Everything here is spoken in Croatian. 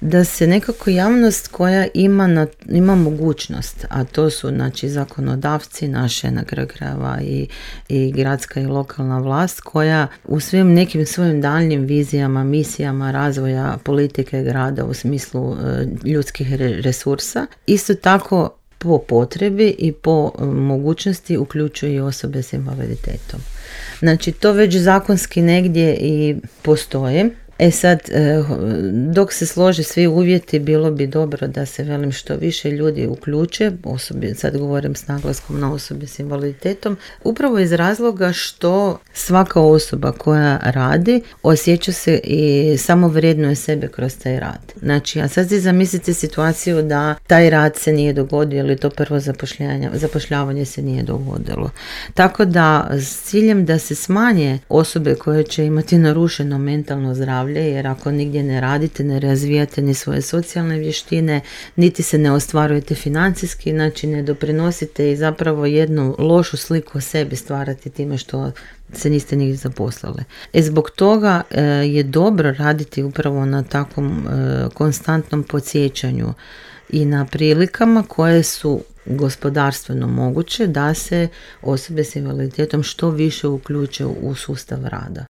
da se nekako javnost koja ima mogućnost, a to su znači zakonodavci naše na kraju krajeva i gradska i lokalna vlast, koja u svim nekim svojim daljnjim vizijama, misijama razvoja politike grada u smislu ljudskih resursa, isto tako po potrebi i po mogućnosti uključuje i osobe s invaliditetom. Znači to već zakonski negdje i postoje. Sad, dok se slože svi uvjeti, bilo bi dobro da se, velim, što više ljudi uključe, sad govorim s naglaskom na osobe s invaliditetom, upravo iz razloga što svaka osoba koja radi osjeća se i samo vrednuje sebe kroz taj rad. Znači, a sad si zamislite situaciju da taj rad se nije dogodio ili to prvo zapošljavanje se nije dogodilo. Tako da, s ciljem da se smanje osobe koje će imati narušeno mentalno zdravlje, jer ako nigdje ne radite, ne razvijate ni svoje socijalne vještine, niti se ne ostvarujete financijski, znači ne doprinosite i zapravo jednu lošu sliku o sebi stvarati time što se niste nigdje zaposlili. Zbog toga je dobro raditi upravo na takvom konstantnom podsjećanju i na prilikama koje su gospodarstveno moguće da se osobe s invaliditetom što više uključe u sustav rada.